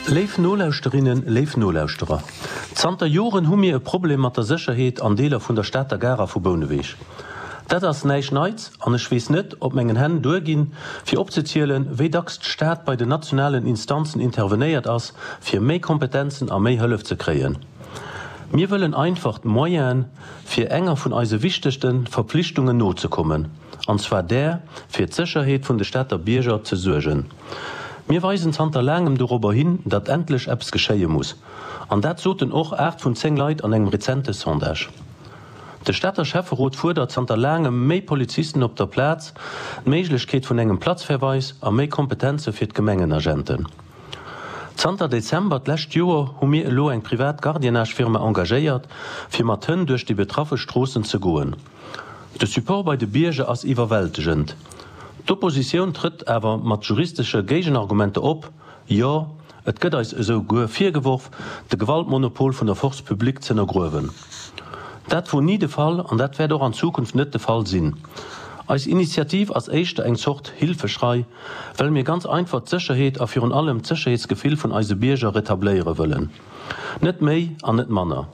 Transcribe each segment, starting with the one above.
Léif Nolauschterinnen, léif Nolauschterer, zanter Joren hu mir e Problem mat der Sécherheet an Deeler vun der Stater Gare a vu Bouneweg. Dat ass näischt Neits an ech weess net, ob mengen Hänn duerginn, fir opzezielen, wéi dacks d'Stad bei den nationalen Instanzen intervenéiert ass, fir méi Kompetenzen a méi Hëllef ze kréien. Mir wëllen einfach d'Moyenen, fir enger vun eise wichtegste Verpflichtungen nozekommen, an zwar där, fir d'Sécherheet vun de Stater Bierger ze suergen. Mir weisen zanter laangem dorobber hin, datt endlech eppes geschéie muss. An dat soten och 8 vun 10 Leit an engem rezente Sondage. De Stater Schäfferot fuerdert zanter laangem méi Polizisten op der Plaz, d'Méiglechkeet vun engem Platzverweis a méi Kompetenze fir d'Gemengenagenten. Zanter Dezember d'lescht Joer hu mir elo eng privat Gardiennage-Firma engagéiert, fir mat Hënn duerch déi betraffe Stroossen ze goen. De Support bei de Bierger ass iwwerwältegend. D'Oppositioun trëtt awer mat juristesche Géigenargumenter op, Jo, et gëtt eis esou guer virgeworf, de Gewaltmonopol vun der Force publique z'ënnergruewen. Dat wor ni de Fall an dat wäert och an Zukunft net de Fall sinn. Eis Initiativ ass éischter eng Zort Hilfeschrei, well mir ganz einfach d'Sécherheet a virun allem d'Sécherheetsgefill vun eise Bierger retabléiere wëllen. Net méi an net manner.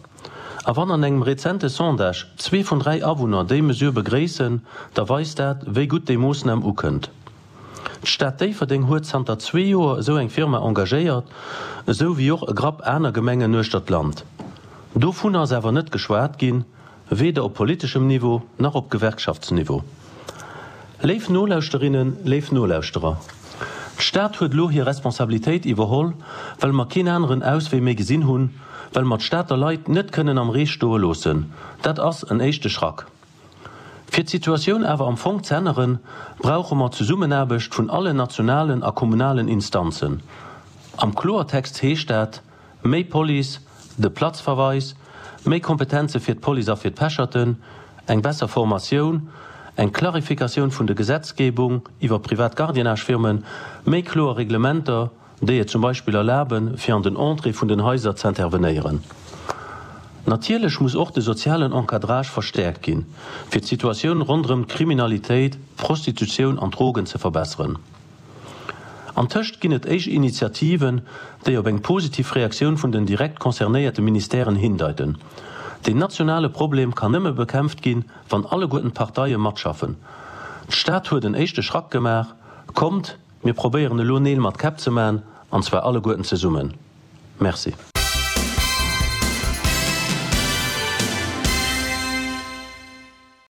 A wann an engem rezente Sondage zwee vun 3 Awunner déi Mesure begréissen, da weist dat, wéi gutt déi Moossnam ukënnt. D'Stad Déifferdeng huet zanter zwee Joer esou eng Firma engagéiert, esou wéi och e Grapp aner Gemengen uechter d'Land. Dovun ass awer net geschwat ginn, weder op politeschem Niveau nach op Gewerkschaftsniveau. Léif Nolauschterinnen, léif Nolauschterer, d'Stad huet elo hir Responsabilitéit iwwerholl, well mer keen aneren Auswee méi gesinn hunn, well mer d'Stater Leit net kënnen am Ree stoe loossen. Dat ass en éischte Schrack. Fir d'Situatioun awer am Fong z'änneren, brauche mer d'Zesummenaarbecht vun allen nationalen a kommunalen Instanzen. Am Kloertext heescht dat, méi Police, de Platzverweis, méi Kompetenze fir d'Police a fir d'Pecherten, eng besser Formatioun, eng Clarificatioun vun de Gesetzgebung iwwer privat Gardiennage-Firmen, méi kloer Reglementer, déi et zum Beispill erlaben, fir an den Entrée vun den Haiser z'intervenéieren. Natierlech muss och de sozialen Encadrage verstäerkt ginn, fir d'Situatioun ronderëm d'Kriminalitéit, d'Prostitutioun an d'Drogen ze verbesseren. Antëscht ginn et éischt Initiativen, déi op eng positiv Reaktioun vun den direkt concernéierte Ministèren hindeiten. Deen nationale Problem kann nëmme bekämpft ginn, wann alleguerten d'Parteie matschaffen. D'Stad huet en éischte Schrack gemaach. Kommt, Mir probéieren elo Neel mat Käpp ze man, an zwar alleguerten zesummen. Merci.